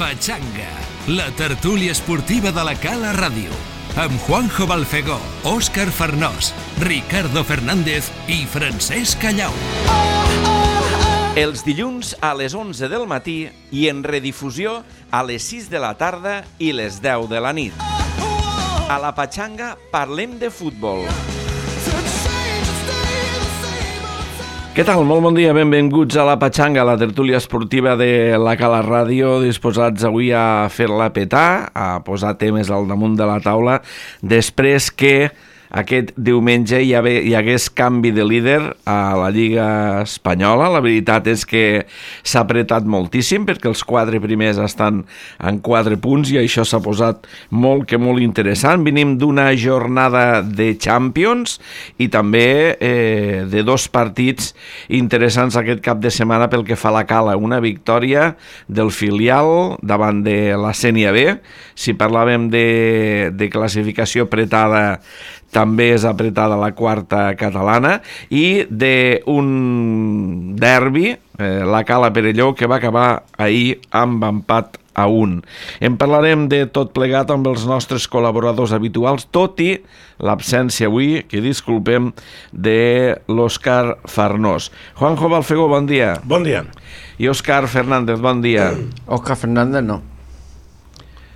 Pachanga, la tertúlia esportiva de la Cala Ràdio, amb Juanjo Balfegó, Òscar Farnós, Ricardo Fernández i Francesc Callau. Els dilluns a les 11 del matí i en redifusió a les 6 de la tarda i les 10 de la nit. A la Pachanga parlem de futbol. Què tal? Molt bon dia, benvinguts a la Pachanga, la tertúlia esportiva de la Cala Ràdio, disposats avui a fer-la petar, a posar temes al damunt de la taula, després que aquest diumenge hi hagués canvi de líder a la Lliga Espanyola. La veritat és que s'ha apretat moltíssim perquè els 4 primers estan en 4 punts i això s'ha posat molt interessant. Venim d'una jornada de Champions i també de 2 partits interessants aquest cap de setmana pel que fa a la Cala. Una victòria del filial davant de la Sénia B. Si parlàvem de classificació apretada, també és apretada la quarta catalana, i d'un derbi, la Cala Perelló, que va acabar ahir amb empat a 1. En parlarem de tot plegat amb els nostres col·laboradors habituals, tot i l'absència avui, que disculpem, de l'Òscar Farnós. Juanjo Balfegó, bon dia. Bon dia. I Òscar Fernández, bon dia. Òscar Fernández no.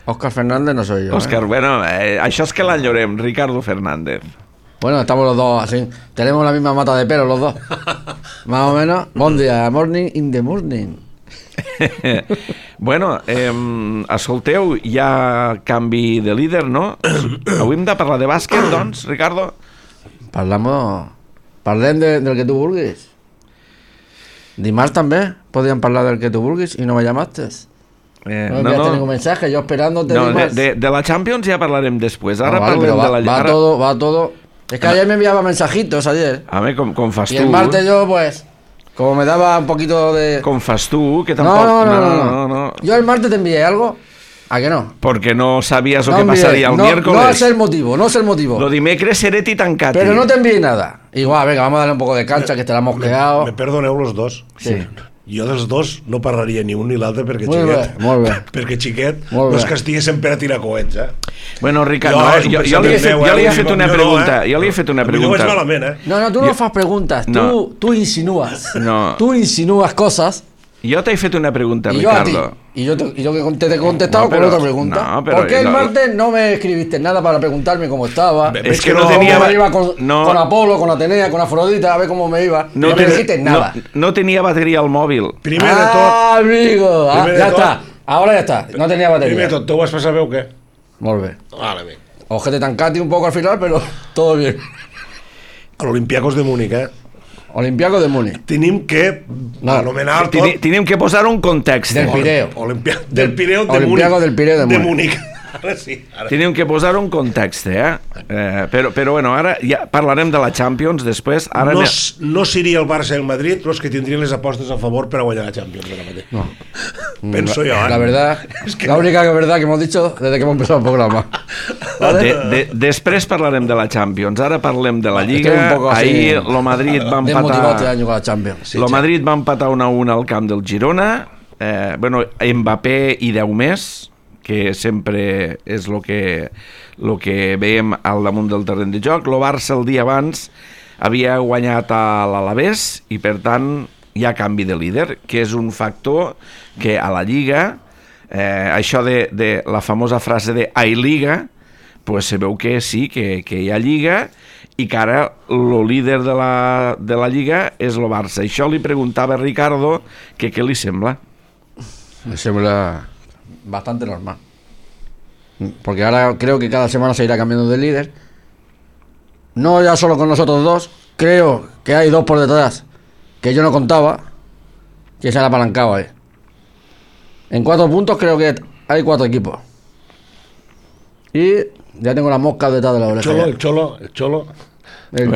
Óscar Fernández no soy yo. Óscar, bueno, això és que l'enyorem, Ricardo Fernández. Bueno, estamos los dos así. Tenemos la misma mata de pelo los dos. Más o menos. Bon dia, morning in the morning. Bueno, escolteu, hi ha canvi de líder, no? Avui hem de parlar de bàsquet, doncs, Ricardo? Parlem del que tu vulguis. Dimarts també podíem parlar del que tu vulguis i no me llamaste. No enviaste ningún mensaje, yo esperándote. No, de la Champions ya hablarem después. Ahora parlem de la Lliga. Va todo. Es que ayer me enviaba mensajitos ayer. A ver, com fas tu. Y el martes yo, pues, como me daba un poquito de... Com fas tu, que tampoco... No. Yo el martes te envié algo. ¿A que no? Porque no sabías lo que pasaría el miércoles. No es el motivo. Lo dimecres seré tancat. Pero no te envié nada. Igual, venga, vamos a darle un poco de cancha, que te la hemos quedado. Me perdoneu los dos. Sí. Jo dels dos no parlaria ni un ni l'altre perquè molt bé. Perquè xiquet no és que estigui sempre a tirar coets, Bueno, Ricardo, jo li he fet una pregunta. Jo li he fet una pregunta. No és malament, No, tú no fas preguntas. Tú insinúas. Tú insinúas cosas. Yo te he fet una pregunta, Ricardo. Y yo te he contestado con otra pregunta. ¿Por qué el martes no me escribiste nada para preguntarme cómo estaba? Es que no tenía... me iba con Apolo, con Atenea, con Afrodita, a ver cómo me iba. No me dijiste nada. No tenía batería al móvil. Primer de tot... amigo! Ja està. Ahora ya está. No tenía batería. Primer de tot, ¿tú vas a saber o qué? Molt bé. Vale, bé. Ojete tancati un poco al final, pero todo bien. A l'Olympiacos de Múnich, Olympiacos de Múnich. Tenim que anomenar tot... Tenim que posar un context. Del Pireo. Del Pireo de Múnich. Olympiacos del Pireo de Múnich. Ara sí. Tenim que posar un context, però bueno, ara ja parlarem de la Champions després. Ara no seria el Barça i el Madrid els que tindrien les apostes a favor per a guanyar la Champions ara mateix. No. Penso jo, La verdad, la única verdad que hemos dicho desde que hemos empezado el programa. ¿Vale? Després parlarem de la Champions. Ara parlem de la Lliga. Ahir el Madrid va empatar... Desmotivat este año con la Champions. El Madrid va empatar 1-1 al camp del Girona. Bueno, Mbappé i 10 més, que sempre és el que veiem al damunt del terreny de joc. El Barça el dia abans havia guanyat a l'Alavés i per tant hi ha canvi de líder, que és un factor que a la Lliga, això de la famosa frase de «hay Liga», pues se veu que sí, que hi ha Lliga i que ara el líder de la Lliga és el Barça. Això li preguntava a Ricardo que què li sembla. Me sembla bastante normal. Porque ahora creo que cada semana se irá cambiando de líder. No ya solo con nosotros dos. Creo que hay 2 por detrás que yo no contaba, que se han apalancado ahí. En 4 puntos creo que hay 4 equipos. Y ya tengo la mosca detrás de la oreja. El Cholo. El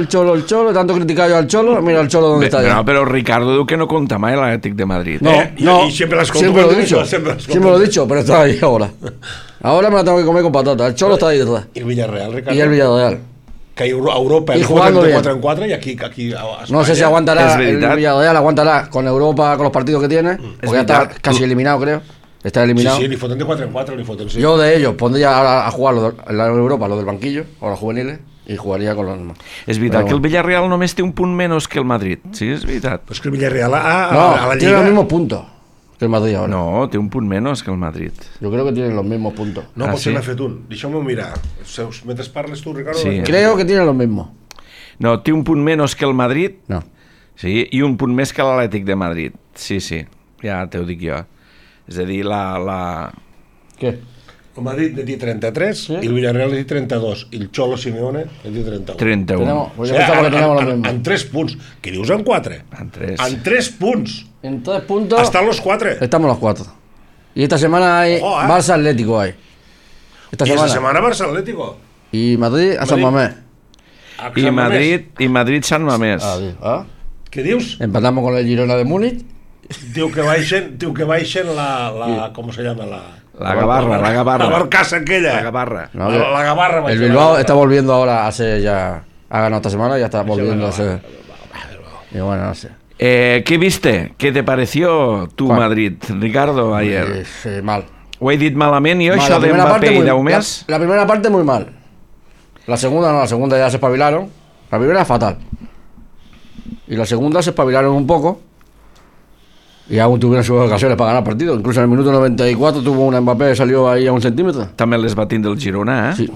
Cholo, tanto criticado yo al Cholo, mira el Cholo donde está ya. No, pero Ricardo diu que no compta mai l'Atlètic de Madrid. No, y siempre las siempre lo he dicho, pero está ahí ahora. Ahora me la tengo que comer con patata. El Cholo está ahí detrás. Y el Villarreal, Ricardo. Y el Villarreal. Que Europa y jugando de 4 en 4 y aquí a no sé si aguantará el Villarreal, aguantará con Europa, con los partidos que tiene, porque ya está casi eliminado, creo. está eliminado. Sí, li foten de 4 en 4, li foten, sí. Yo de ellos pondría ahora a jugar en la Europa, los del banquillo, o los juveniles, y jugaría con los demás. És veritat que el Villarreal només té un punt menys que el Madrid. Sí, és veritat. Pues que el Villarreal a No, la tiene los Lliga... mismos puntos que el Madrid ahora. No, té un punt menys que el Madrid. Yo creo que tienen los mismos puntos. No, Ah, potser sí? n'ha fet un. Deixeu-m'ho mirar. Mentre parles tu, Ricardo... Sí. Creo que tienen los mismos. No, té un punt menys que el Madrid, No. sí, i un punt més que l'Atlètic de Madrid. Sí, sí, ja t'ho dic jo. És a dir, ¿Qué? El Madrid ne té 33 Sí. i el Villarreal ne té 32 i el Cholo Simeone ne té 31. 31. Tenemos, pues yo pensaba que teníamos los mismos. En 3 punts. Què dius en 4? En 3. En 3 punts. En 3 puntos Estan los 4. estamos los 4. Y esta semana hay Ojo, Barça Atlético hay. Esta I semana. esta setmana Barça Atlético. Y Madrid a San Madrid. Mamés. I Madrid-Sant Mamés. ¿Ah? Què dius? Empatamos con el Girona de Múnich. Diu que baixen la ¿cómo se llama? La Gavarra. La barcassa aquella. La Gavarra. No, la Gavarra. El baixa Bilbao la está volviendo ahora a ser ya. Ha ganado esta semana y ya está volviendo a ser. Y bueno, no sé. ¿Qué viste? ¿Qué te pareció tu ¿Cuál? Madrid, Ricardo, ayer? Mal. Ho he dit malament jo, Mal, això de Mbappé i Daumés? La primera parte muy mal. La segunda no, la segunda ya se espabilaron. La primera fatal. Y la segunda se espabilaron un poco. Y aún tuvieron sus ocasiones para ganar partido. Incluso en el minuto 94 tuvo una Mbappé que salió ahí a 1 centímetro. També les va tindre el Girona, eh? Sí.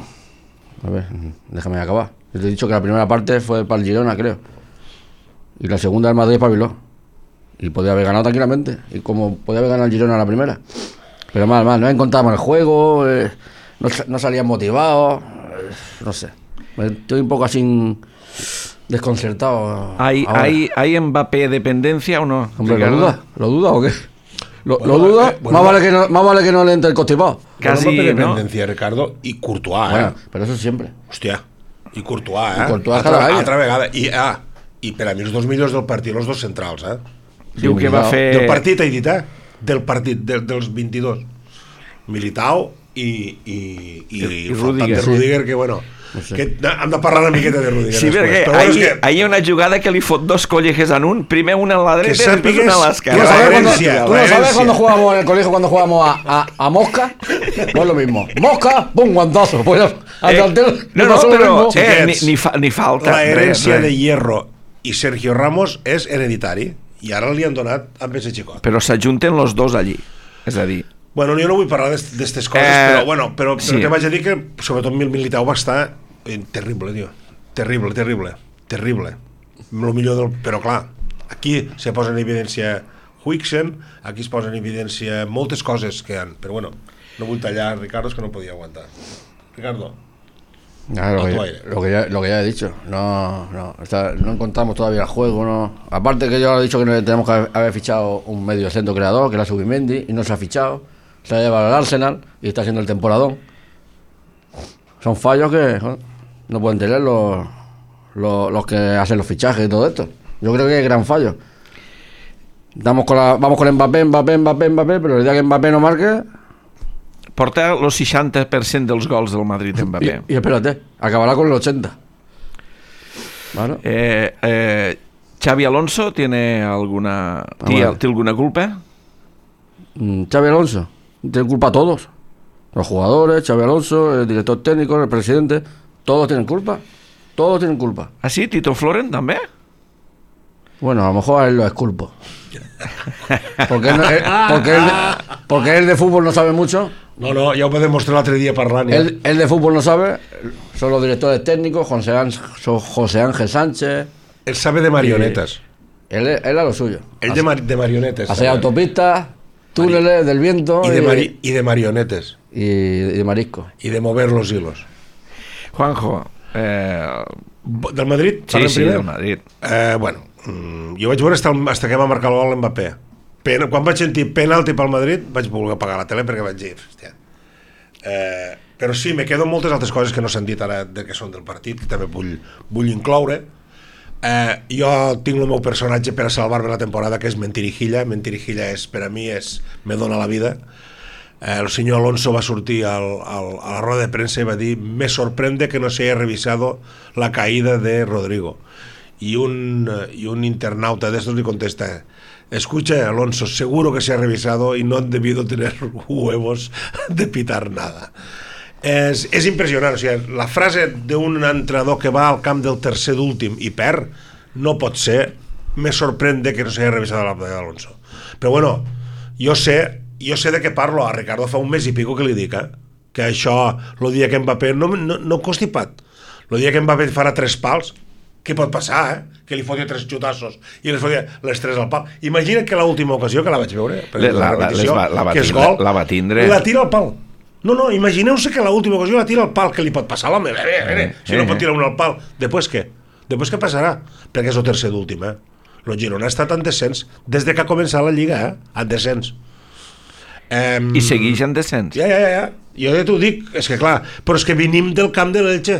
A ver, déjame acabar. Yo te he dicho que la primera parte fue para el Girona, creo. Y la segunda el Madrid espabiló. Y podía haber ganado tranquilamente. Y como podía haber ganado el Girona la primera. Pero mal, no encontraban el juego, no salían motivados, no sé. Estoy un poco así desconcertado. ¿Hay Mbappé dependencia o no? Hombre, Ricardo? ¿lo duda o qué? ¿Lo Bueno, duda? bueno, más vale que no le entre el constipado. Casi, Bueno, no? dependencia, Ricardo, i Courtois, Bueno, pero eso siempre. Hòstia, i Courtois, I Courtois cada any. altra vegada. I per a mi els dos millors del partit, els dos centrals, Diu que va fer... Del partit, he dit, Del partit, dels 22. Militao i Rüdiger. Rüdiger, que bueno... No sé. Que hem de parlar una miqueta de Rüdiger Sí, perquè després. Però bueno, és que ahir hi ha una jugada que li fot dos collejes en un, primer una a la dreta i després sàpigues una a que l'esquerra. la ¿Tú herencia, no la sabes herencia. cuando jugábamos en el colegio, cuando jugábamos a mosca? Pues lo mismo. Mosca, pum, guantazo. Pues al delantero le No, pasó lo però mismo. ni falta. la herència res. de Hierro i Sergio Ramos és hereditari i ara li han donat amb ese xicot. Però s'ajunten los dos allí. És a dir, Bueno, jo no vull parlar d'aquestes coses, però sí. te vaig a dir que sobretot Militao va estar terrible, tio. Terrible. Lo millor del... Però clar, aquí se posa en evidència Huijsen, aquí es posa en evidència moltes coses que han... Però bueno, no vull tallar, Ricardo, és que no podia aguantar. Ricardo. Claro, lo que ya he dicho, no encontramos todavía el juego, no. Aparte que yo he dicho que tenemos que haber fichado un medio centro creador, que era Subimendi, y no se ha fichado, se ha llevado al Arsenal y está haciendo el temporadón. Son fallos que joder, no pueden tener los que hacen los fichajes y todo esto. Yo creo que es gran fallo. Vamos con Mbappé, pero el día que Mbappé no marque... porta el 60% dels gols del Madrid Mbappé. Y espérate, acabará con el 80. Bueno. Xavi Alonso tiene alguna ¿té alguna culpa? Xavi Alonso tiene culpa a todos. Los jugadores, Xavi Alonso, el director técnico, el presidente, todos tienen culpa. Todos tienen culpa. Ah, sí? Tito Floren també? Bueno, a lo mejor a él lo exculpo. Porque él de fútbol no sabe mucho. No, ja ho va demostrar l'altre dia parlant. Ja. Él de fútbol no sabe. Son los directores técnicos, José Ángel Sánchez. Él sabe de marionetas. Él a lo suyo. Él de marionetes. Hacer autopistas, túneles del viento y de marionetes. y de marisco. Y de mover los hilos. Juanjo, Del Madrid? sí, Primer? del Madrid. Bueno, jo vaig veure hasta que va marcar el gol Mbappé. Quan vaig sentir penalti pel Madrid vaig voler apagar la tele perquè vaig dir hòstia. Però sí, me quedo moltes altres coses que no s'han dit ara que són del partit, que també vull incloure. Jo tinc el meu personatge per a salvar-me la temporada, que és Mentirijilla. Mentirijilla per a mi me dona la vida. El senyor Alonso va sortir a la roda de premsa i va dir: me sorprende que no se haya revisado la caída de Rodrigo. y un internauta de estos le contesta: escucha, Alonso, seguro que se ha revisado y no han debido tener huevos de pitar nada. És impressionant, o sigui, la frase d'un entrenador que va al camp del tercer d'últim i perd no pot ser. Me sorprende que no s'hagi revisat la batalla d'Alonso. Però bueno, jo sé de què parlo. A Ricardo fa un mes i pico que li dic, que això, el dia que Mbappé no constipat, el dia que Mbappé farà 3 pals, què pot passar, que li fotia 3 xutassos i les fotia les 3 al pal. Imagina't que l'última ocasió que la vaig veure, que és gol, la va tindre, la tira al pal. No, imagineu-se que l'última ocasió la tira al pal, que li pot passar a l'home, si no pot tirar un al pal. Després què? Després què passarà? Perquè és el tercer d'últim, El Girona ha estat en descens des de que ha començat la Lliga, en descens. I segueix en descens. Ja. Jo ja t'ho dic, és que clar, però és que venim del camp de l'Elche.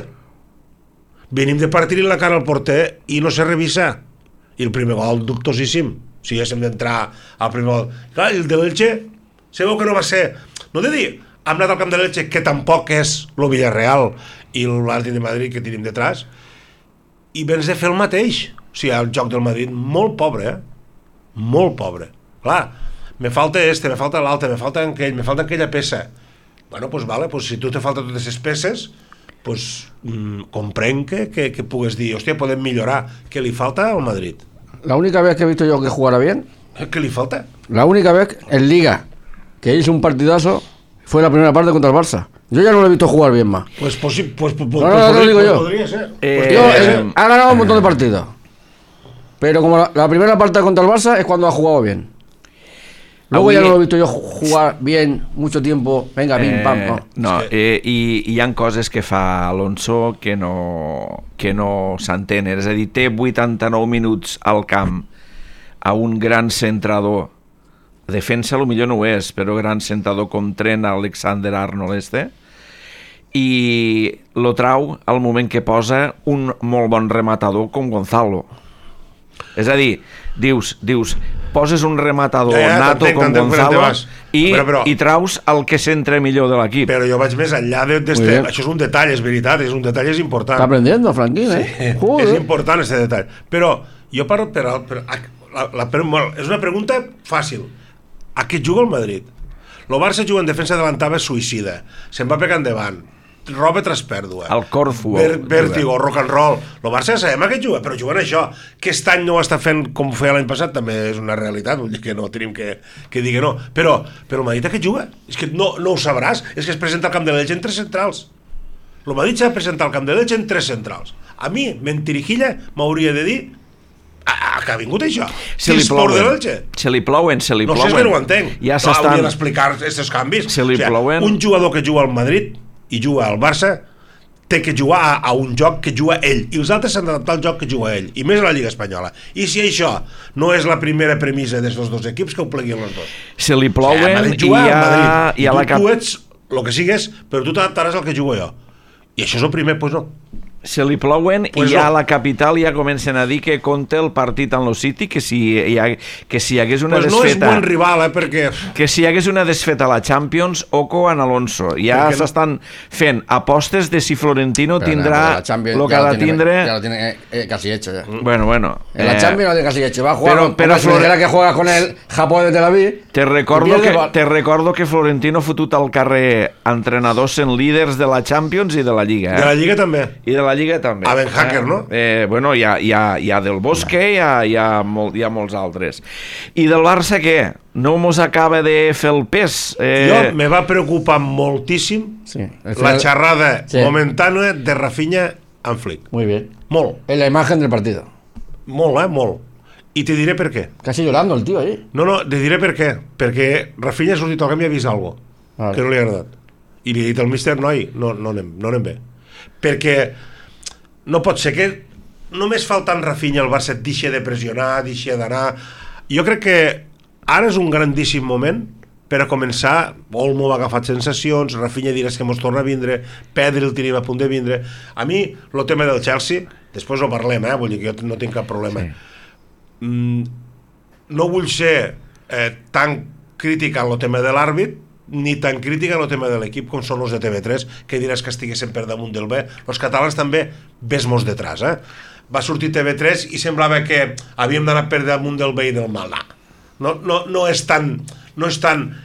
Venim de partir-li la cara al porter i no se revisa. I el primer gol dubtosíssim. Si haguéssim d'entrar al primer gol. Clar, el de l'Elche, sabeu que no va ser... No he de dir, hem anat al camp de l'Elche, que tampoc és el Villarreal i l'Atlètic de Madrid que tenim detrás, i vens de fer el mateix. O sigui, el joc del Madrid molt pobre, molt pobre. Clar, me falta me falta l'altre, me falta aquella peça. Bueno, pues vale, pues si tu te falta totes aquestes peces, pues comprenc que pugues dir, hòstia, podem millorar. ¿Qué li falta al Madrid? La única vez que he visto yo que jugara bien, ¿Qué le falta? la única vez en Liga que hizo un partidazo fue la primera parte contra el Barça. Yo ya no lo he visto jugar bien más. Pues lo digo yo. Podría ser. Ha ganado un montón de partidos. Pero como la primera parte contra el Barça es cuando ha jugado bien. Luego ya no lo he visto yo jugar bien mucho tiempo. Venga, pim, pam. No, i hi ha coses que fa Alonso que no s'entenen. És a dir, té 89 minuts al camp a un gran centrador. Defensa potser no ho és, però gran centrador com Trent Alexander-Arnold i lo trau al moment que posa un molt bon rematador com Gonzalo. És a dir, dius poses un rematador nato com Gonzalo i traus el que centra millor de l'equip. Però jo vaig més enllà això és un detall, és veritat, és un detall, és important. Està aprendiendo, Franquín, És important aquest detall. Però jo parlo és una pregunta fàcil. A què juga el Madrid? El Barça juga en defensa adelantada suïcida, se'n va pegar endavant, roba tras pèrdua, el Corfu, vèrtigo, rock and roll. El Barça ja sabem a què juga, però jugant això, que aquest any no ho està fent com ho feia l'any passat, també és una realitat, vull dir que no tenim que dir que no, però el Madrid a què juga? És que no ho sabràs, és que es presenta al camp de l'Elche en 3 centrals. El Madrid s'ha de presentar al camp de l'Elche en 3 centrals. A mi, Mentirijilla, m'hauria de dir que ha vingut això. Se li plouen. No sé, és que no ho entenc. Ja haurien d'explicar aquests canvis. Un jugador que juga al Madrid i juga al Barça té que jugar a un joc que juga ell, i els altres s'han d'adaptar al joc que juga ell, i més a la Lliga Espanyola. I si això no és la primera premissa d'aquests dos equips, que ho pleguin els dos. Se li plouen i tu ets el que sigues, però tu t'adaptaràs al que jugo jo. I això és el primer, doncs no. Se li plouen i ja a la capital ja comencen a dir que compta el partit en el City, que si hi hagués una desfeta... no és bon rival, perquè... Que si hi hagués una desfeta a la Champions, oco en Alonso. Ja s'estan fent apostes de si Florentino tindrà el que ha de tindre... Ya lo tiene casi hecho ya. Bueno. En la Champions lo tiene casi hecho. Va a jugar pero Florentino que juega con el Japón de Tel Aviv. Te recordo que Florentino ha fotut al carrer entrenadors en líders de la Champions i de la Lliga. De la Lliga també. I de la Lliga també. A Ben Hacker, no? Bueno, hi ha Del Bosque, hi ha molts altres. I del Barça què? No mos acaba de fer el pes? Jo me va preocupar moltíssim la xerrada momentània de Rafinha amb Flick. Muy bien. Molt. En la imagen del partido. Molt, molt. I te diré per què. Casi llorando el tío ahí. No, te diré per què. Perquè Rafinha ha sortit al camp i ha vist alguna cosa que no li ha agradat. I li ha dit al míster, noi, no anem bé. Perquè no pot ser que només faltant Rafinha el Barça deixi de pressionar, deixi d'anar. Jo crec que ara és un grandíssim moment per a començar. Olmo ha agafat sensacions, Rafinha diràs que mos torna a vindre, Pedri el tenim a punt de vindre. A mi, el tema del Chelsea, després ho parlem, vull dir que jo no tinc cap problema. No vull ser tan crític en el tema de l'àrbit, ni tan crítica en el tema de l'equip com són els de TV3, que diràs que estiguessin per damunt del B. Els catalans també ves-mos detrás, va sortir TV3 i semblava que havíem d'anar per damunt del bé i del mal. No és tan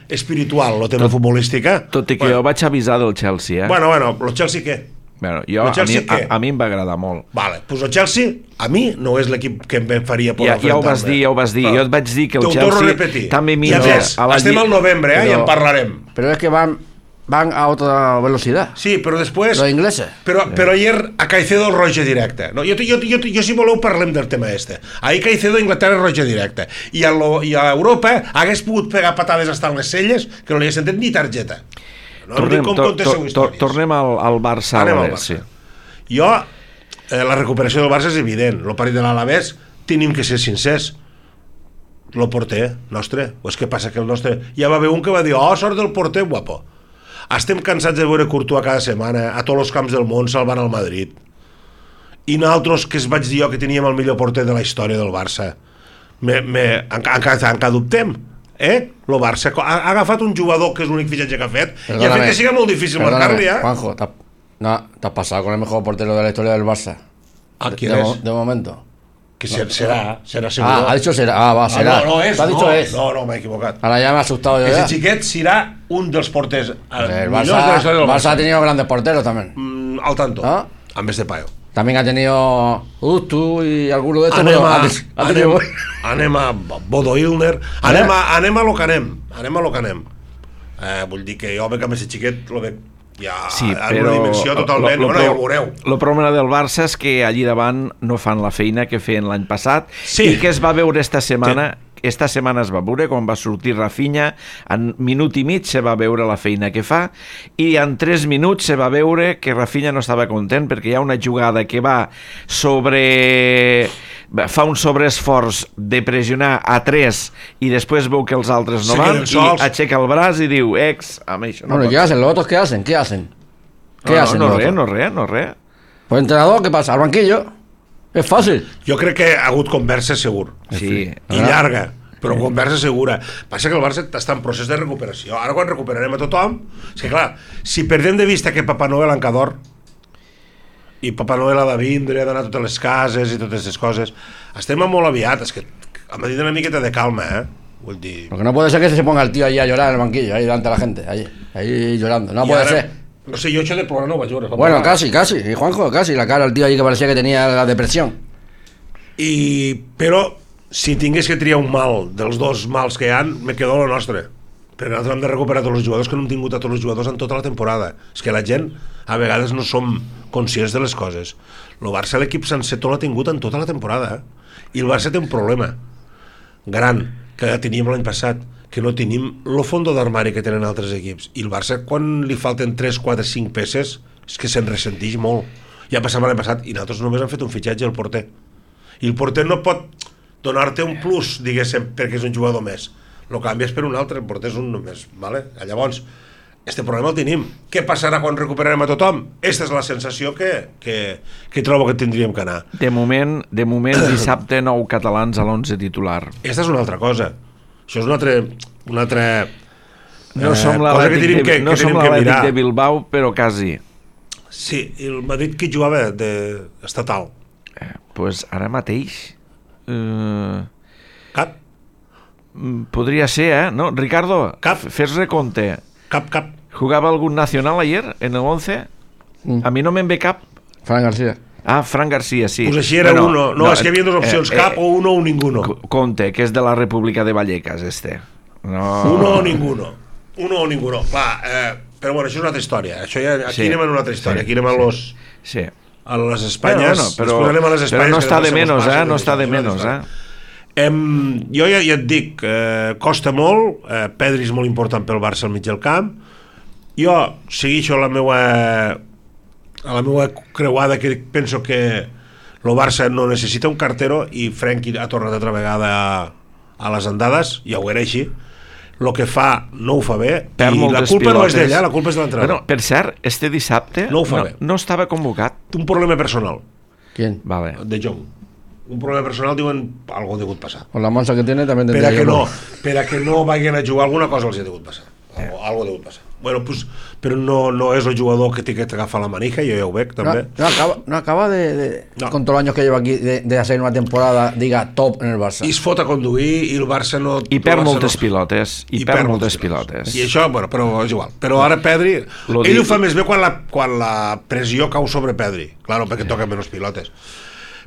espiritual el tema futbolístic. Tot i que jo vaig avisar del Chelsea, Bueno, el Chelsea què? Bueno, a mi em va agradar molt. Vale, doncs el Chelsea a mi no és l'equip que em faria por ja ho vas dir. Jo et vaig dir que el Chelsea també mira estem al novembre, i en parlarem. Però és que van a otra velocidad. Sí, però després... Los ingleses. Però ayer a Caicedo el roja directe. No, jo si voleu parlem del tema este. Ahir Caicedo a Inglaterra roja directe. I a Europa hagués pogut pegar patades hasta les celles que no li hagués sentit ni targeta. Tornem al Barça. Sí. Jo, la recuperació del Barça és evident. El partit de l'Alavés tenim que ser sincers. El porter nostre, o és que passa que el nostre... Ja va haver un que va dir, sort del porter, guapo. Estem cansats de veure Courtois cada setmana a tots els camps del món salvant el Madrid. I nosaltres, que es vaig dir jo que teníem el millor porter de la història del Barça, encara dubtem. El Barça ha agafat un jugador que és l'únic fitxatge que ha fet i ha fet que siga molt difícil marcar-li. Juanjo, te has pasado con el mejor portero de la historia del Barça. ¿Quién es? De momento. Que será seguro. Ha dicho será. Será. No és. No, m'he equivocat. Ahora ya me ha asustado yo. Ese xiquet serà un dels porters el Barça ha tenido grandes porteros también. Al tanto. En vez de Payo. También ha tenido Ustu y alguno de estos. Anem a Bodo Illner. Anem a lo que anem. Vull dir que jo veig amb aquest xiquet lo veig ja en una dimensió totalment, ja ho veureu. El problema del Barça és que allí davant no fan la feina que feien l'any passat i que es va veure esta setmana. Esta setmana es va veure quan va sortir Rafinha, en minut i mig se va veure la feina que fa i en 3 minuts se va veure que Rafinha no estava content perquè hi ha una jugada que va fa un sobreesforç de pressionar a 3 i després veu que els altres no van i aixeca el braç i diu amb això no. Bueno, ¿qué hacen? ¿Los otros qué hacen? ¿Qué hacen? No res. Pues entrenador, ¿qué pasa? Al banquillo. És fàcil. Jo crec que ha hagut conversa segur. Sí. I llarga, però conversa segura. Passa que el Barça està en procés de recuperació. Ara quan recuperarem a tothom, és que clar, si perdem de vista que Papa Noel encador i Papa Noel ha de vindre, ha d'anar a totes les cases i totes aquestes coses, estem molt aviat. És que m'ha dit una miqueta de calma, Vull dir... Lo que no puede ser que se ponga el tío ahí a llorar en el banquillo, ahí delante de la gente, ahí llorando. No puede ser. No sé, yo hecho de plorar no vaig veure. Bueno, casi, y Juanjo, casi, la cara del tío ahí que parecía que tenía la depresión. Però, si tingués que triar un mal dels dos mals que hi ha, me quedo lo nostre. Perquè nosaltres hem de recuperar tots els jugadors que no hem tingut a tots els jugadors en tota la temporada. És que la gent, a vegades, no som conscients de les coses. El Barça, l'equip sencer, tot l'ha tingut en tota la temporada. I el Barça té un problema gran, que teníem l'any passat, que no tenim el fondo d'armari que tenen altres equips. I el Barça, quan li falten 3, 4, 5 peces, és que se'n ressentix molt. Ja passava l'any passat, i nosaltres només hem fet un fitxatge al porter. I el porter no pot donar-te un plus, diguéssim, perquè és un jugador més. El canvies per un altre, el porter és un només. Vale? Llavors, este problema el tenim. Què passarà quan recuperarem a tothom? Aquesta és la sensació que trobo que tindríem que anar. De moment dissabte 9 catalans a l'11 titular. Aquesta és una altra cosa. Això és una altra no som l'Atlètic de Bilbao, però quasi. Sí, el Madrid que jugava d'estatal. Pues ara mateix... Cap? Podria ser, ¿no? Ricardo, fes recompte. Cap. ¿Jugaba algún nacional ayer en el 11? A mi no me'n ve cap. Fran García. Fran García, sí. Pues així era uno. No, és que hi havia dues opcions, cap o uno o ninguno. Conte, que és de la República de Vallecas, este. No. Uno o ninguno. Clar, però bueno, això és una altra història. Aquí anem en una altra història. Aquí anem a les... Sí. A les Espanyes. Però no està de menys, no està de menys, Jo ja et dic, costa molt, Pedri és molt important pel Barça al mig del camp. Jo segueixo a la meva creuada, que penso que el Barça no necessita un cartero i Frenkie ha tornat altra vegada a les andades, ja ho era així. El que fa no ho fa bé i la culpa no és d'ella, la culpa és de l'entrenador. Per cert, este dissabte no estava convocat. Un problema personal. ¿Quién? Vale. De Jong. Un problema personal, diuen, algo ha degut passar. Con la mansa que tiene también tendría per a que no vagin a jugar, alguna cosa els ha degut passar. Algo ha degut passar. Bueno, pues, però no és el jugador que té que agafar la manija, jo ja ho veig també. No acaba con todos los años que lleva aquí de hacer una temporada, diga, top en el Barça. I es fot a conduir i el Barça no... I perd moltes pilotes. I perd moltes pilotes. I això, bueno, però és igual. Però ara Pedri, ell ho fa més bé quan la pressió cau sobre Pedri. Claro, perquè toca menys pilotes.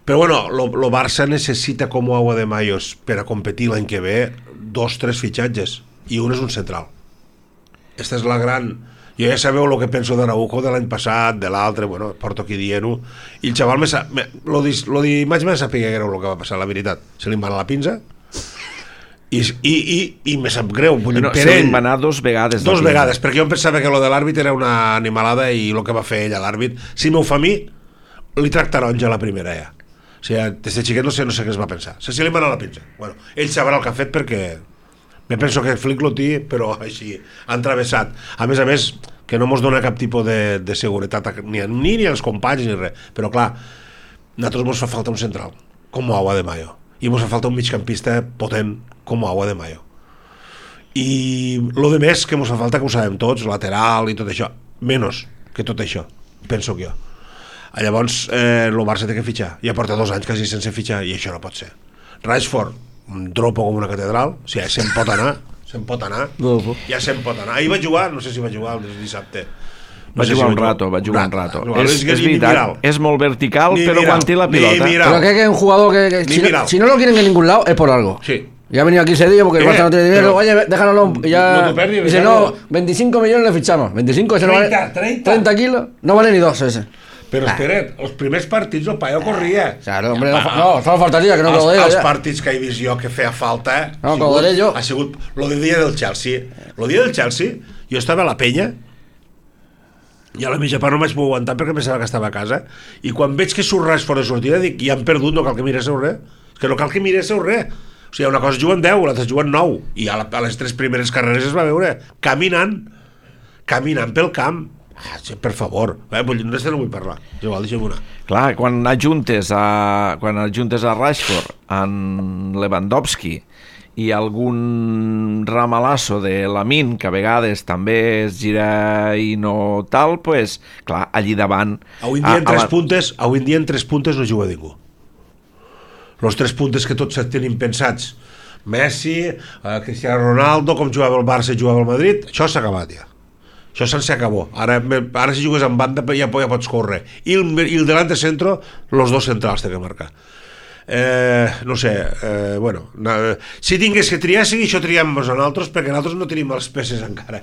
Però bueno, el Barça necessita com agua de mayos per a competir l'any que ve 2-3 fitxatges i un és un central. Esta és la gran... Jo ja sabeu el que penso d'Araujo de l'any passat, de l'altre, bueno, porto aquí dient-ho, i el xaval lo d'imatge me sàpiga que era el que va passar, la veritat. Se li va la pinza i me sap greu. Se li va anar 2 vegades. 2 vegades, perquè jo em pensava que lo de l'àrbit era una animalada i el que va fer ell a l'àrbit, si m'ho fa a mi, li tracta taronja a la primera ja. O sigui, des de xiquet no sé què es va pensar. Se li va anar la pinza. Bueno, ell sabrà el que ha fet perquè... Me penso que Flick lo té, però així, han travessat. A més, que no mos dona cap tipus de seguretat ni als companys ni res. Però clar, a nosaltres mos fa falta un central, com agua de mayo. I mos fa falta un migcampista potent, com agua de mayo. I lo de més que mos fa falta, que ho sabem tots, lateral i tot això, menys que tot això, penso que jo. Llavors, el Barça té que fitxar. Ja porta 2 anys quasi sense fitxar i això no pot ser. Rashford, un dropo com una catedral, o sigui, se'n pot anar, ja se'n pot anar. Ahir va jugar, no sé si va jugar el dissabte. Va jugar un rato. És veritat, és molt vertical, però quan té la pilota... Pero que es un jugador que si no lo quieren en ningún lado es por algo. Sí. Ya ha venido aquí ese día porque el Barça no tiene dinero. Oye, déjanoslo. Y ya dice, no, 25 millones le fichamos. 25, ese no vale 30 kilos, no vale ni 2 ese. Però espera't, els primers partits el paio corria. Claro, hombre, no, solo faltaría que no lo Els partits que he vist jo que feia falta ha sigut lo del dia del Chelsea. El dia del Chelsea, jo estava a la penya i a la mitja part no vaig poder aguantar perquè pensava que estava a casa, i quan veig que surt Rashford de sortida dic, ja han perdut, no cal que miréssiu res. És que no cal que miréssiu res. O sigui, una cosa juguen 10, l'altra juguen 9, i a les 3 primeres carreres es va veure caminant pel camp. Sí, per favor, no vull parlar. Igual, deixa'm una. Clar, quan ajuntes a Rashford, en Lewandowski i algun ramalasso de Lamine, que a vegades també es gira i no tal, pues, clar, allí davant... Avui en dia en 3 puntes no juga ningú. Els 3 puntes que tots tenim pensats, Messi, Cristiano Ronaldo, com jugava el Barça i jugava el Madrid, això s'ha acabat ja. Això se'n acabó. Ara si jugues en banda ja pots córrer. I el delante centro, los 2 centrals té que marcar. No sé, bueno, si tingués que triar, sí, això triem-nos a nosaltres, perquè nosaltres no tenim les peces encara.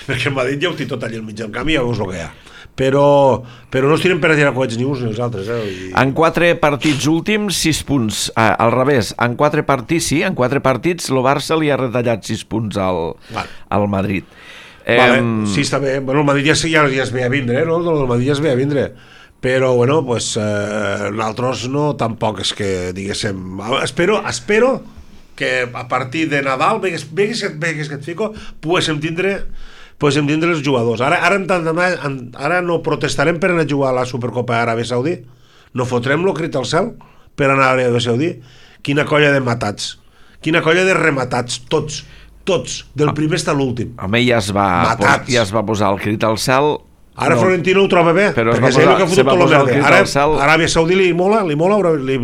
Perquè el Madrid ja ho té tot allà al mig del camp i ja veus el que hi ha. Però no es tiren per a tirar coets ni uns ni els altres. En 4 partits últims, 6 punts. Al revés, en 4 partits, sí, en 4 partits el Barça li ha retallat 6 punts al Madrid. Sí, està bé. Bueno, el Madrid ja es ve a vindre, no? El Madrid ja es ve a vindre. Però, bueno, pues, nosaltres no, tampoc és que, diguéssim... Espero que a partir de Nadal, vegues que et fico, poguéssim tindre els jugadors. Ara no protestarem per anar a jugar a la Supercopa Aràbia Saudí? No fotrem lo crit al cel per anar a Aràbia Saudí? Quina colla de matats, quina colla de rematats, tots, del primer fins a l'últim. Home, ja es va posar el crit al cel. Ara Florentino ho troba bé, però perquè se va posar el crit al cel. Aràbia Saudí li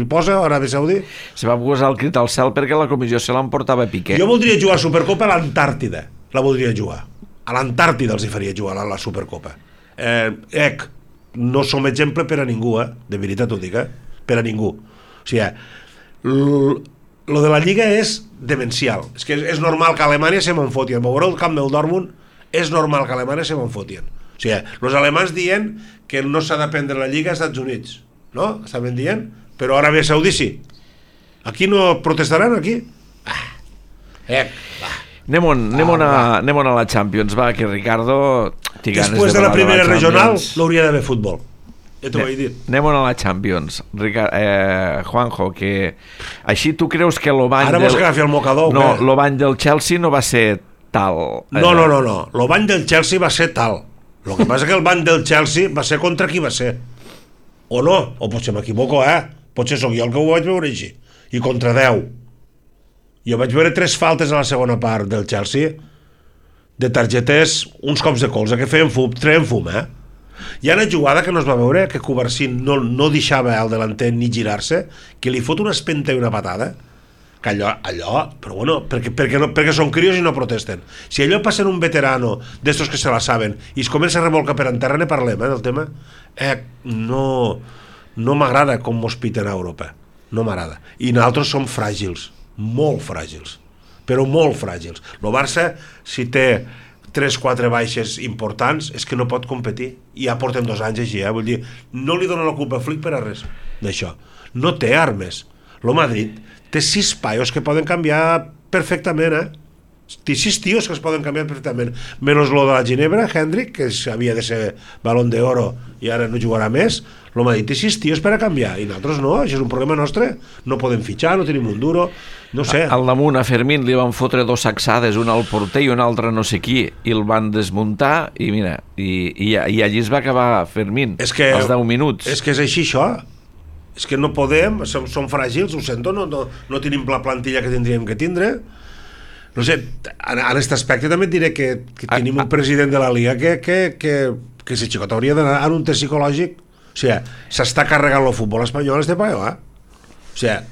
posa Aràbia Saudí. Se va posar el crit al cel perquè la comissió se l'emportava Piqué. Jo voldria jugar a Supercopa a l'Antàrtida, la voldria jugar. A l'Antàrtida els hi faria jugar a la Supercopa. No som exemple per a ningú, de veritat ho dic, per a ningú. O sigui, lo de la Lliga és demencial. És que és normal que a Alemanya se m'enfotien. Veureu el camp del Dortmund, és normal que a Alemanya se m'enfotien. O sigui, els alemans dient que no s'ha de prendre la Lliga als Estats Units, no? Estaven dient, però Aràbia Saudí sí. Aquí no protestaran, aquí? Anem a la Champions, va, que Ricardo... Després de la primera regional l'hauria d'haver futbol. Ja t'ho vaig dir. Anem a la Champions. Juanjo, que així tu creus que l'obany ara vols agafi el mocador? No, l'obany del Chelsea no va ser tal. No. L'obany del Chelsea va ser tal. El que passa que el bany del Chelsea va ser contra qui va ser. O no, o potser m'equivoco, potser sóc jo el que ho vaig veure així. I contra 10. Jo vaig veure 3 faltes a la segona part del Chelsea. de targetes, uns cops de colze que feien fum, treien fum, Hi ha una jugada que no es va veure, que Covarsí no deixava el delanter ni girar-se, que li fot una espenta i una patada, que allò però bueno, perquè són crios i no protesten. Si allò passa en un veterano d'estos que se la saben i es comença a remolcar per en terra, ne parlem, del tema. No m'agrada com mos piten a Europa, no m'agrada. I nosaltres som fràgils, molt fràgils, però molt fràgils. El Barça, si té 3-4 baixes importants, és que no pot competir, i ja porten 2 anys així, vull dir, no li dona la culpa a Flick per a res d'això, no té armes. El Madrid té 6 paios que poden canviar perfectament, té 6 tios que es poden canviar perfectament, menys lo de la Ginebra, Hendrik, que havia de ser Balón de Oro i ara no jugarà més. El Madrid té 6 tios per a canviar i nosaltres no, això és un problema nostre, no podem fitxar, no tenim un duro, no sé. Al damunt a Fermín li van fotre 2 sacsades, una al porter i una altra no sé qui, i el van desmuntar i mira, i allí es va acabar Fermín, als 10 minuts. És que és així això, és que no podem, som fràgils, ho sento, no tenim la plantilla que tindríem que tindre. No sé, en aquest aspecte també et diré que tenim un president de la Liga que si xicot hauria d'anar en un test psicològic. O sigui, s'està carregant el futbol espanyol este paio, O sigui,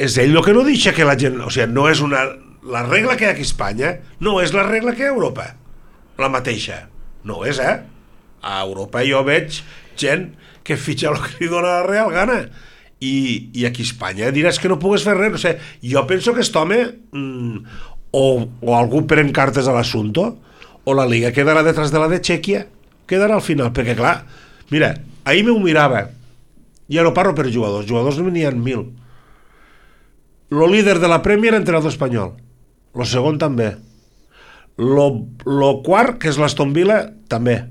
és ell el que no deixa que la gent... O sigui, no és la regla que hi ha aquí a Espanya no és la regla que hi ha a Europa, la mateixa. No és, A Europa jo veig gent que fitxa el que li dona la real gana. I aquí a Espanya diràs que no pugues fer res. O sigui, jo penso que aquest home o algú pren cartes a l'assumpte o la Liga quedarà detrás de la de Txèquia, quedarà al final, perquè clar, mira, ahir m'ho mirava, ja no parlo per jugadors n'hi ha 1.000. El líder de la Premier, entrenador espanyol, el segon també, el quart, que és l'Aston Villa, també,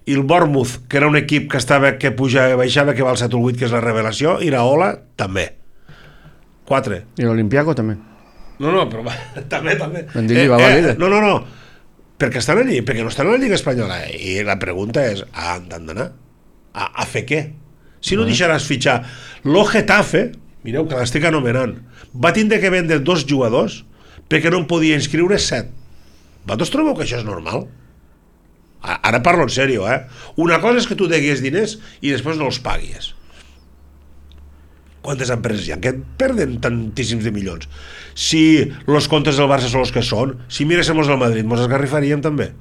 i el Bournemouth, que era un equip que pujava, baixava, que va al 7 o 8, que és la revelació, i Iraola, també. 4. I l'Olimpiaco també. No, però també. No, perquè estan allí, perquè no estan a la Lliga Espanyola, i la pregunta és, han d'anar? A fer què? Si no deixaràs fitxar lo Getafe, mireu que l'estic anomenant, va tindre que vendre 2 jugadors perquè no en podia inscriure 7. Vosaltres trobeu que això és normal? Ara parlo en sèrio, Una cosa és que tu deguis diners i després no els paguis. Quantes empreses hi ha que perden tantíssims de milions? Si els comptes del Barça són els que són, si miréssim el Madrid, mos esgarrifaríem també.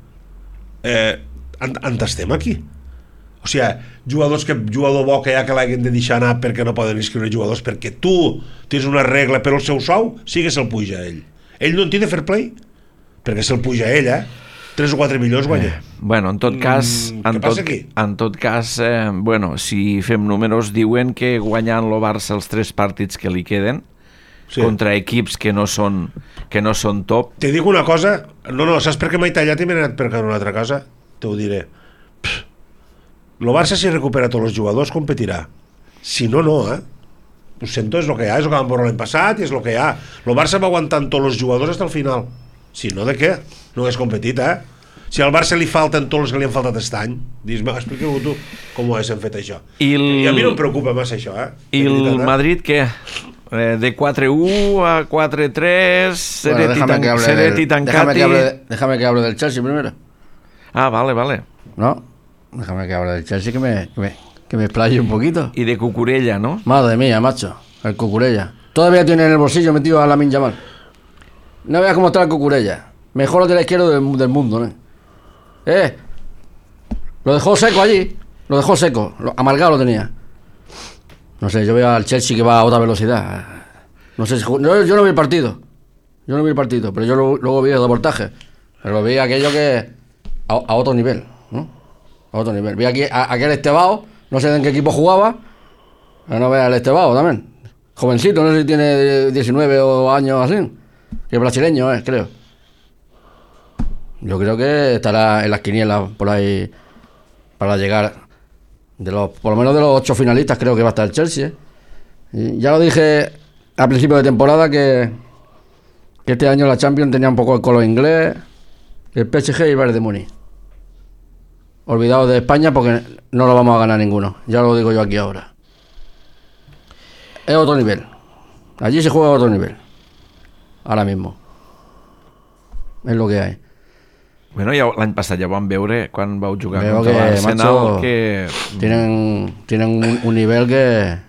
On estem aquí? O sigui, jugador bo que hi ha que l'hagin de deixar anar perquè no poden inscriure jugadors, perquè tu tens una regla per el seu sou, sí que se'l puja a ell. Ell no en té de fair play, perquè se'l puja a ell, 3 o 4 milions guanya. Bueno, en tot cas, bueno, si fem números, diuen que guanyant el Barça els 3 partits que li queden, contra equips que no són top. Te dic una cosa, no, saps per què m'he tallat i m'he anat per una altra cosa? Te ho diré. El Barça, si recupera tots els jugadors, competirà. Si no, no, Ho sento, és el que hi ha, és el que vam veure l'any passat i és el que hi ha. El Barça va aguantant tots els jugadors fins al final. Si no, de què? No hagués competit, Si al Barça li falten tots els que li han faltat aquest any, expliqueu-ho tu com ho haguéssim fet això. I a mi no em preocupa massa això, I el Madrid, què? De 4-1 a 4-3, Seret i Tancati. Déjame que hable del Chelsea primero. Vale. No, déjame que hable del Chelsea, que me explaye un poquito. Y de Cucurella, ¿no? Madre mía, macho, el Cucurella. Todavía tiene en el bolsillo metido a Lamine Yamal. No veas cómo está el Cucurella. Mejor lateral izquierdo del mundo, ¿no? Lo dejó seco allí. Amargado lo tenía. No sé, yo veo al Chelsea que va a otra velocidad. No sé, yo no vi el partido. Pero yo luego vi el reportaje. Pero lo vi aquello que... A otro nivel, ¿no? A otro nivel. Vi aquí aquel Estebao, no sé en qué equipo jugaba. Pero no veas el Estebao también. Jovencito, no sé si tiene 19 años así. Que es brasileño, creo. Yo creo que estará en las quinielas por ahí para llegar por lo menos de los 8 finalistas. Creo que va a estar el Chelsea. Y ya lo dije al principio de temporada que este año la Champions tenía un poco el color inglés, el PSG y el Bayern de Múnich. Olvidados de España porque no lo vamos a ganar ninguno. Ya lo digo yo aquí ahora. Es otro nivel. Allí se juega a otro nivel. Ahora mismo. Es lo que hay. Bueno, ja, l'any passat ja ho vam veure quan vau jugar Veo contra que, l'Arsenal, macho, que... tienen un nivel que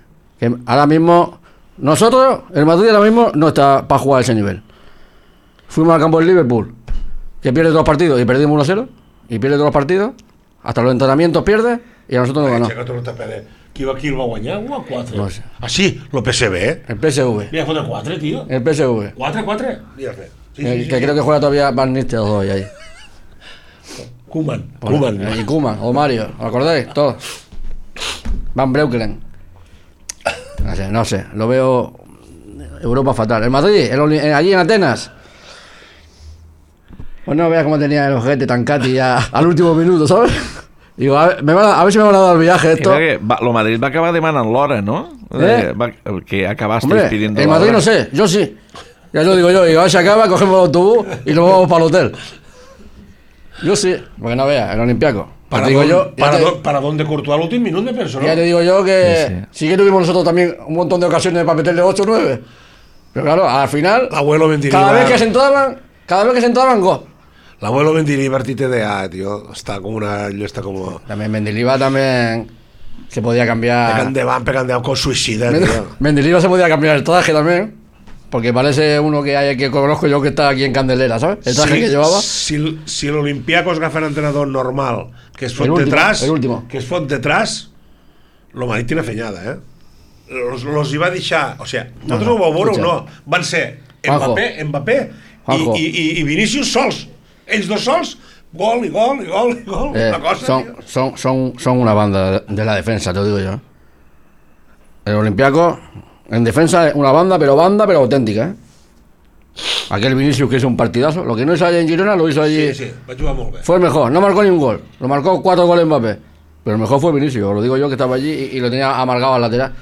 ahora mismo nosotros, el Madrid ahora mismo no está para jugar a ese nivel. Fuimos al campo del Liverpool, que pierde todos los partidos y perdimos 1-0, y pierde todos los partidos, hasta los entrenamientos pierde y a nosotros nos ganó. Aixeca tot el qui el va guanyar? 1-4. No sé. Ah, sí, el PSV, eh? El PSV. Mira, fotre 4, tio. El PSV. 4-4? Mira, sí, Que creo que juega todavía Van Nistelrooy ahí. Koeman. Y Koeman, o Mario, ¿os acordáis? Todos. Van Breukelen. No sé, lo veo Europa fatal. El Madrid, allí en Atenas. Pues no veas cómo tenía el ojete tan cati ya al último minuto, ¿sabes? Digo, a ver si me van a dar el viaje esto. Lo Madrid va acabar demanant l'hora, ¿no? Que acabasteis Hombre, pidiendo el la Madrid hora. no sé, yo sí. Ya lo digo yo, y a ver si acaba, cogemos el autobús y nos vamos para el hotel. Yo sí, porque no veas, el Olympiaco. Para dónde Courtois al últim minut de persona. Ya te digo yo que sí que tuvimos nosotros también un montón de ocasiones para meterle 8 o 9. Pero claro, al final, L'abuelo Mendilibar. cada vez que se entraban, gol. L'abuelo Mendilibar TTDA, tío. Está como una... Está como... También Mendilibar también se podía cambiar. Pegant de con suïcida, tío. Mendilibar se podía cambiar el traje también. Porque parece uno que conozco yo que está aquí en Candelera, ¿sabes? El traje que llevaba. Si l'Olimpiakos agafa un entrenador normal que es fot El último, detrás, el último. que es fot detrás, lo Madrid tiene fenyada, eh? Los hi va deixar... O sigui, nosaltres ho vau veure o no? Van ser Mbappé Juanjo. i Vinícius sols. Ells dos sols, gol i gol i gol i gol. Una cosa, son una banda de la defensa, te lo digo yo. El Olympiacos en defensa es una banda, pero auténtica, ¿eh? Aquel Vinicius que hizo un partidazo, lo que no hizo allí en Girona lo hizo allí. Sí, va jugar molt bé. Fue el mejor, no marcó ni un gol, lo marcó 4 goles Mbappé, pero el mejor fue Vinicius, lo digo yo que estaba allí y lo tenía amargado al lateral.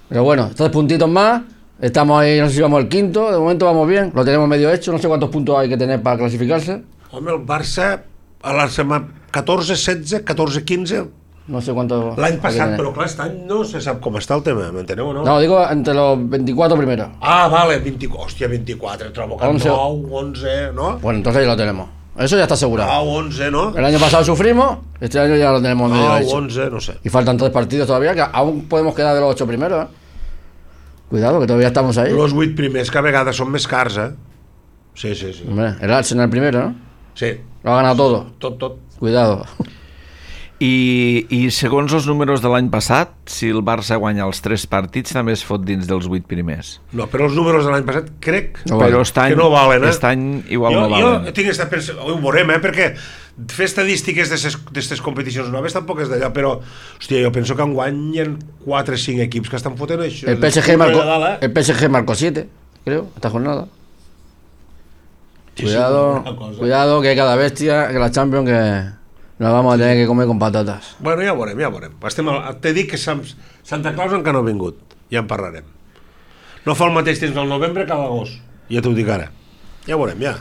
Pero bueno, 3 puntitos más, estamos ahí, no sé si vamos al quinto, de momento vamos bien, lo tenemos medio hecho, no sé cuántos puntos hay que tener para clasificarse. Home, el Barça a la setmana 14, 16, 14, 15... No sé cuántos. L'any passat, però clar, aquest any no se sap com està el tema, m'enteneu o no? No, digo entre los 24 primeros. Ah, vale, 24, hòstia, 24, trobo que 11. 9, 11, ¿no? Bueno, entonces ya lo tenemos. Eso ya está asegurado. 11, ¿no? El año pasado sufrimos, este año ya lo tenemos medio hecho. 11, no sé. Y faltan 3 partidos todavía, que aún podemos quedar de los 8 primeros, ¿eh? Cuidado, que todavía estamos ahí. Los 8 primers que a vegades són més cars, eh? Sí. Hombre, el Arsenal primero, ¿no? Sí. Lo ha ganado todo. Tot. Cuidado. I segons els números de l'any passat, si el Barça guanya els 3 partits, també es fot dins dels 8 primers. No, però els números de l'any passat crec No Però que no valen, eh? aquest any igual no Jo valen. tinc aquesta ho veurem, perquè fer estadístiques d'aquestes competicions noves tampoc és d'allò, però, hòstia, jo penso que enguany hi ha 4 o 5 equips que estan fotent això. El PSG marcó 7, creo, esta jornada. Cuidado, que hay cada bestia, que la Champions que nos vamos a tener que comer con patatas. Bueno, ja veurem. T'he dit que Santa Claus encara no ha vingut, ja en parlarem. No fa el mateix temps al novembre que a l'agost, ja t'ho dic ara. Ja veurem, ja.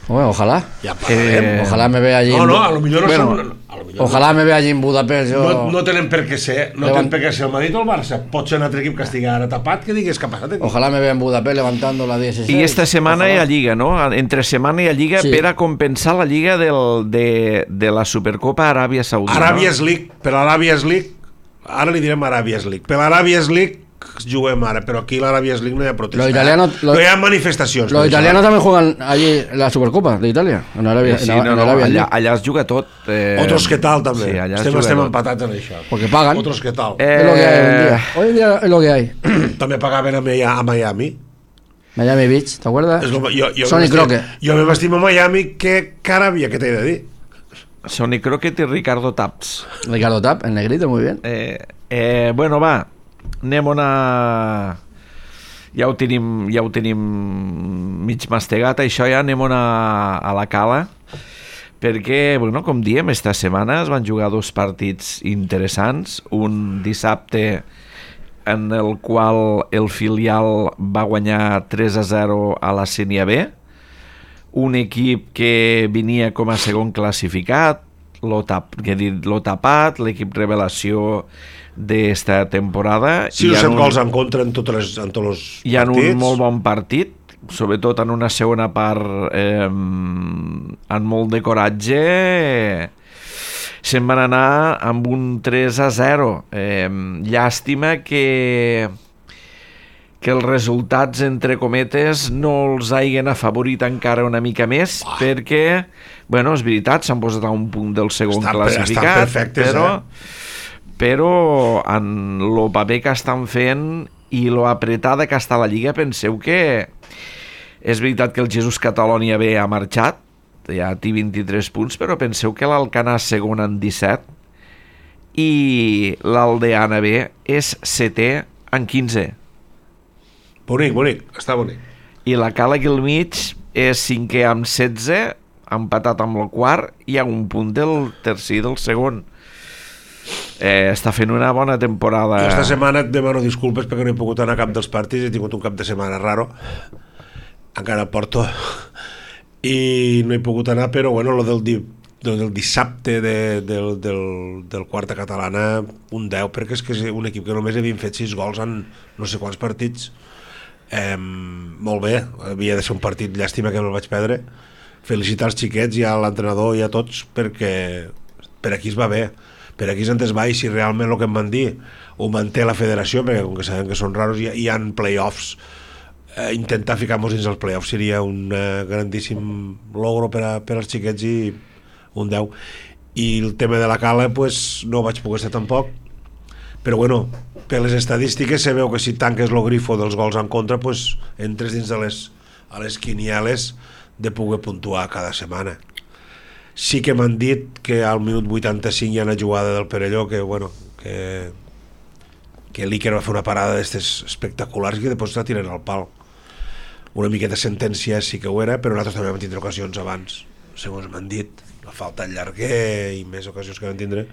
Bueno, ojalá. Ja parlarem. Ojalá me vea allí. No, a lo millor no Bueno, són... Ojalá me vea allí en Budapest. No tenen per què ser, el Madrid o el Barça. Pot ser un altre equip que estigui ara tapat, que digues que ha passat aquí. Ojalá me vea en Budapest levantando la 16. I esta setmana hi ha Lliga, no? Entre setmana hi ha Lliga Sí. per a compensar la Lliga de la Supercopa Aràbia Saudita. Arabia's League, per l'Arabia's League, ara li direm Arabia's League. Per l'Arabia's League juguem ara, però aquí l'Arabia's League no hi ha protesta. No hi ha manifestacions. Los italianos también juegan allí la Supercopa de Italia. En Arabia. Sí, en Arabia allà es juga tot. Otros que tal, també. Sí, allà es estem juga tot. empatats en això. Porque pagan. Otros que tal. Es lo que hay hoy en día. Hoy en día es lo que hay. També pagaven a Miami. Miami Beach, ¿te acuerdas? Sonny Crockett. Jo me m'estimo a Miami que Aràbia, què t'he de dir? Sonny Crockett i Ricardo Taps. Ricardo Tapp, el negrito, muy bien. Bueno, va, anem ja ho tenim mig mastegat, això ja anem a la cala, perquè, bueno, com diem, esta setmana es van jugar 2 partits interessants, un dissabte en el qual el filial va guanyar 3-0 a la Sènia B, un equip que venia com a segon classificat, l'ho tapat, l'equip revelació d'esta temporada. Sí, 7 gols en contra en tots els partits. Hi ha un molt bon partit sobretot en una segona part amb molt de coratge, se'n van anar amb un 3-0. Llàstima que els resultats, entre cometes, no els hagin afavorit encara una mica més, perquè, bueno, és veritat, s'han posat a un punt del segon classificat, estan perfectes, però en el paper que estan fent i lo apretada que està la Lliga, penseu que és veritat que el Jesús Catalònia B ha marxat, ja té 23 punts, però penseu que l'Alcanar segon en 17 i l'Aldeana B és setè en 15. Bonic, està bonic. I la Cala aquí al mig és cinquè amb 16, empatat amb el quart i a un punt del tercer i del segon. Està fent una bona temporada. Jo esta setmana et demano disculpes perquè no he pogut anar a cap dels partits, he tingut un cap de setmana raro, encara a Porto, i no he pogut anar, però bueno, lo del dissabte del quarta catalana, un 10, perquè és que és un equip que només havien fet 6 gols en no sé quants partits. Molt bé, havia de ser un partit, llàstima que no el vaig perdre. Felicitar els xiquets i a l'entrenador i a tots, perquè per aquí es va bé, per aquí és on es va, i si realment el que em van dir ho manté la federació, perquè com que sabem que són raros hi ha play-offs, intentar ficar-nos dins els play-offs seria un grandíssim logro per als xiquets, i un 10. I el tema de la Cala pues, no vaig poder ser tampoc, però bueno, per les estadístiques se veu que si tanques el grifo dels gols en contra, pues, entres dins de les quinieles de poder puntuar cada setmana. Sí que m'han dit que al minut 85 hi ha una jugada del Perelló que, bueno, que l'Iker va fer una parada d'estes espectaculars i que després la tiren al pal. Una miqueta sentència sí que ho era, però nosaltres també vam tindre ocasions abans, segons m'han dit, la falta al llarguer i més ocasions que vam tindre.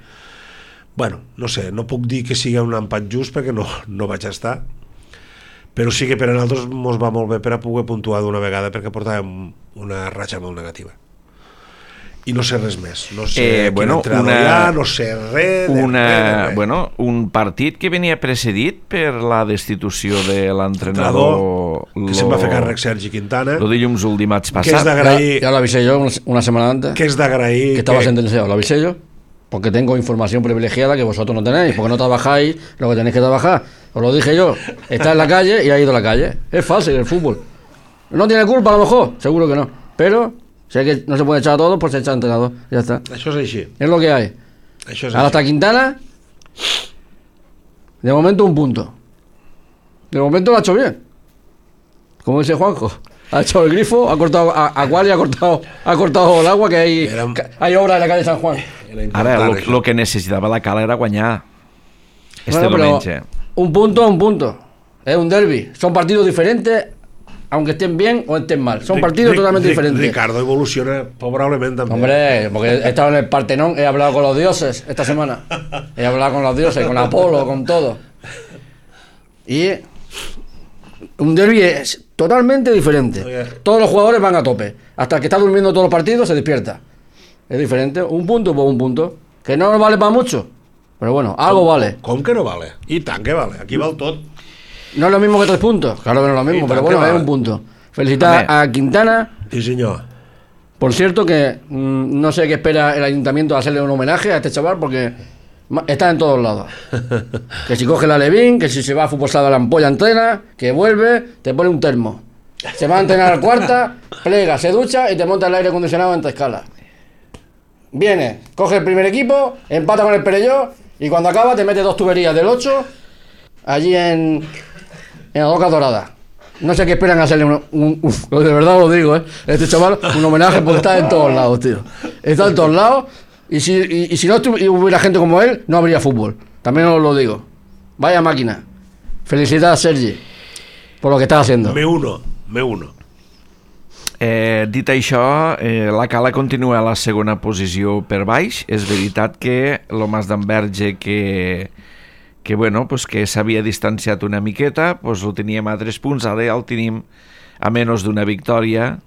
Bueno, no sé, no puc dir que sigui un empat just perquè no vaig estar, però sí que per a nosaltres ens va molt bé per a poder puntuar d'una vegada, perquè portàvem una ratxa molt negativa. I no sé res més, no sé quin entrenador hi ha, no sé res. Bueno, un partit que venia precedit per la destitució de l'entrenador que se'n va fer càrrec Sergi Quintana, el dilluns o el dimarts passat. Que és d'agrair, ya lo avisé yo una semana antes, que és d'agrair que estaba sentenciado, lo avisé yo, porque tengo información privilegiada que vosotros no tenéis, porque no trabajáis lo que tenéis que trabajar. Os lo dije yo, está en la calle y ha ido a la calle. Es fácil el fútbol. No tiene culpa a lo mejor, seguro que no, pero sé que no se puede echar a todos, pues se echa al entrenador, ya está. Això és així. Es lo que hay. Això és Ahora així. hasta Quintana, de momento un punto. De momento lo ha hecho bien. Como dice Juanjo, ha hecho el grifo, ha cortado a Guali, ha cortado el agua, que hay obra en la calle San Juan. Ara, lo que necessitava la Cala era guanyar este diumenge. Un punto. Es un derbi. Son partidos diferentes, aunque estén bien o estén mal. Son partidos totalmente diferentes. Ricardo evoluciona favorablement també. Hombre, porque he estado en el Partenón, he hablado con los dioses esta semana. He hablado con los dioses, con Apolo, con todo. Y un derbi es totalmente diferente. Todos los jugadores van a tope. Hasta el que está durmiendo todos los partidos se despierta. Es diferente. Un punto por un punto. Que no vale para mucho. Pero bueno, algo vale. Com que no vale? I tant que vale. Aquí val tot. No es lo mismo que 3 puntos. Claro que no es lo mismo, pero bueno, es un punto. Felicitar a Quintana. Sí, senyor. Por cierto que no sé qué espera el ayuntamiento de hacerle un homenaje a este chaval, porque está en todos lados. Que si coge la Levín, que si se va a fútbol sala la ampolla entrena, que vuelve, te pone un termo. Se va a entrenar al cuarta, plega, se ducha y te monta el aire acondicionado en 3 escalas. Viene, coge el primer equipo, empata con el Perelló y cuando acaba te mete 2 tuberías del 8 allí en la Roca Dorada. No sé qué esperan hacerle de verdad lo digo, este chaval, un homenaje porque está en todos lados, tío. Está en todos lados y si no hubiera gente como él, no habría fútbol. También os lo digo. Vaya máquina. Felicidades, Sergi, por lo que estás haciendo. Me uno. Dit això, la Cala continua a la segona posició per baix. És veritat que el Mas d'Enverge que bueno, pues que s'havia distanciat una miqueta, pues ho teníem a 3 punts, ara ja el tenim a menys d'una victòria.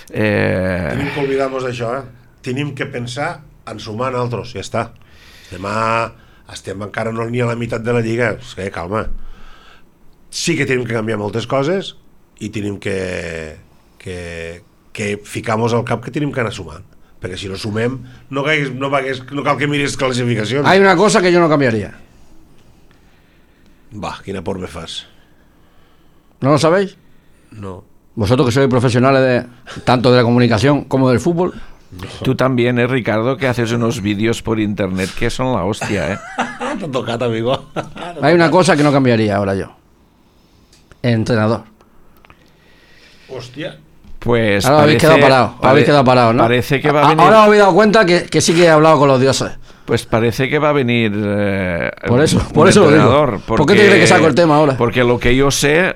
Tenim que oblidar-nos d'això, Tenim que pensar en sumar nosaltres, ja està. Demà estem encara no ni a la meitat de la Lliga, calma. Sí que tenim que canviar moltes coses, i tenim que ficar-nos al cap que tenim que anar sumant, perquè si no sumem no cal que miris clasificacions. Hay una cosa que yo no cambiaría. Va, quina por me fas. ¿No lo sabéis? No. Vosotros que sois profesionales tanto de la comunicación como del fútbol. Tú también, Ricardo, que haces unos vídeos por internet que son la hostia, ¿eh? T'ha tocat, amigo. Hay una cosa que no cambiaría ahora yo. Entrenador. Hòstia. Pues Ahora habéis quedado parado, ¿no? Parece que va a venir. Ahora os habéis dado cuenta que sí que he hablado con los dioses. Pues parece que va a venir por eso un lo entrenador. digo. ¿Por qué te crees que saco el tema ahora? Porque lo que yo sé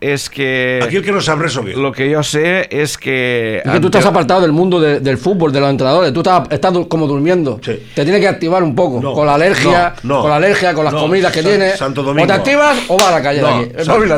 es que... Aquí el que no sap res sóc jo. Lo que yo sé es que... Es que tú estás apartado del mundo del fútbol, de los entrenadores. Tú estás como durmiendo. Sí. Te tienes que activar un poco. No, con la alergia, con las comidas que tienes. Santo Domingo. O te activas o vas a la calle de aquí.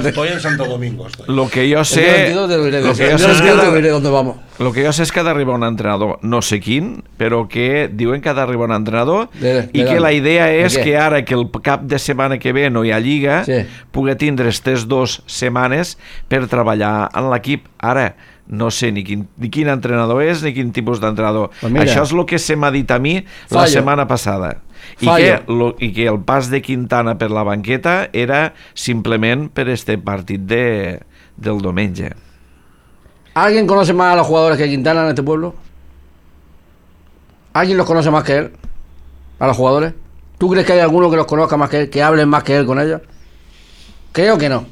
Estoy en Santo Domingo. Lo que yo sé... dónde vamos. Lo que jo sé és que ha d'arribar un entrenador, no sé quin, però que diuen que ha d'arribar un entrenador i que la idea és que ara que el cap de setmana que ve no hi ha lliga, pugui tindre aquestes 2 setmanes per treballar en l'equip. Ara, no sé ni quin entrenador és ni quin tipus d'entrenador. Això és el que se m'ha dit a mi la setmana passada. I que el pas de Quintana per la banqueta era simplement per este partit del diumenge. ¿Alguien conoce más a los jugadores que Quintana en este pueblo? ¿Alguien los conoce más que él? ¿A los jugadores? ¿Tú crees que hay alguno que los conozca más que él, que hablen más que él con ellos? Creo que no.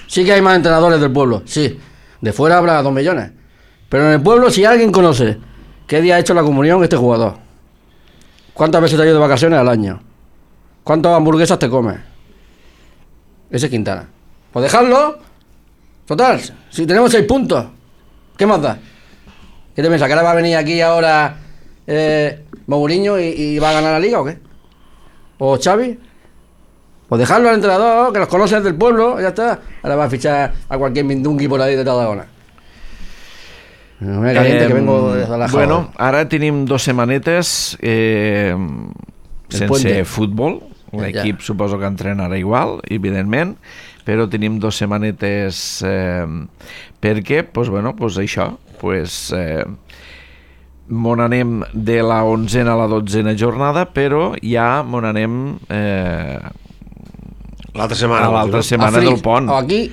Sí que hay más entrenadores del pueblo, sí. De fuera habrá 2 millones. Pero en el pueblo, si alguien conoce qué día ha hecho la comunión este jugador, cuántas veces te ha ido de vacaciones al año, cuántas hamburguesas te comes, ese es Quintana. Pues dejarlo. Total, si tenemos 6 puntos, ¿qué más da? ¿Qué te piensas? ¿Que ahora va a venir aquí ahora Mourinho y va a ganar la liga o qué? ¿O Xavi? Pues dejarlo al entrenador, que los conoce del pueblo, ya está. Ahora va a fichar a cualquier mindungui por ahí de Tarragona. No me caliente que vengo de la Bueno, ara tenim 2 setmanetes sense futbol. L'equip suposo que entrenarà igual, evidentment, però tenim 2 setmanetes perquè, doncs, bueno, doncs això, doncs, mon anem de la 11a a la 12a jornada, però ja mon anem l'altra setmana, a l'altra setmana del pont. Aquí?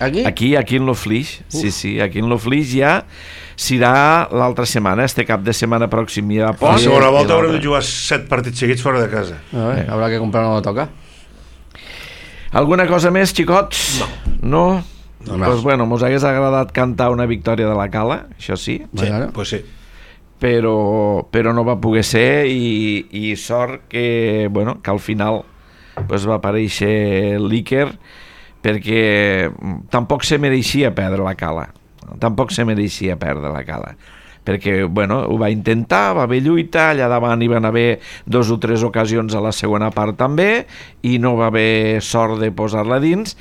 Aquí en l'Oflix, sí, aquí en l'Oflix ja serà l'altra setmana, este cap de setmana pròxim hi ha pont. La segona volta haurem de jugar 7 partits seguits fora de casa. Habrá que comprar una toca. Alguna cosa més, xicots? No? Doncs bueno, mos hagués agradat cantar una victòria de la Cala, això sí. Sí, pues sí. Però no va poder ser i sort que, bueno, que al final pues, va aparèixer l'Iker perquè tampoc se mereixia perdre la Cala. Tampoc se mereixia perdre la Cala. Perquè, bueno, ho va intentar, va haver lluita, allà davant hi van haver 2 o 3 ocasions a la segona part també, i no va haver sort de posar-la dins,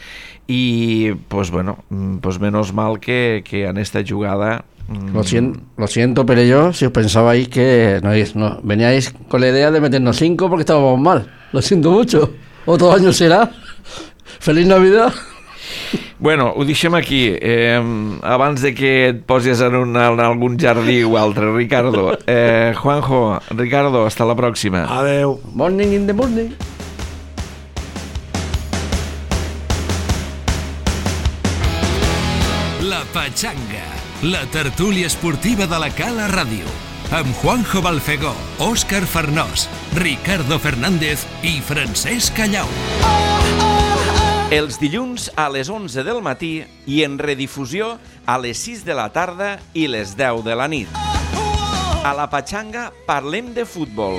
i, pues bueno, pues menos mal que en esta jugada... Lo siento, pero yo, si os pensabais que no, veníais con la idea de meternos 5 porque estábamos mal. Lo siento mucho. Otro año será. Feliz Navidad. Bueno, ho deixem aquí. Abans de que et posis en algun jardí o altre, Ricardo. Juanjo, Ricardo, hasta la pròxima. Adeu. Morning in the morning. La Pachanga, la tertúlia esportiva de la Cala Ràdio. Amb Juanjo Balfegó, Òscar Farnós, Ricardo Fernández i Francesc Callau. Els dilluns a les 11 del matí i en redifusió a les 6 de la tarda i les 10 de la nit. A la Pachanga parlem de futbol.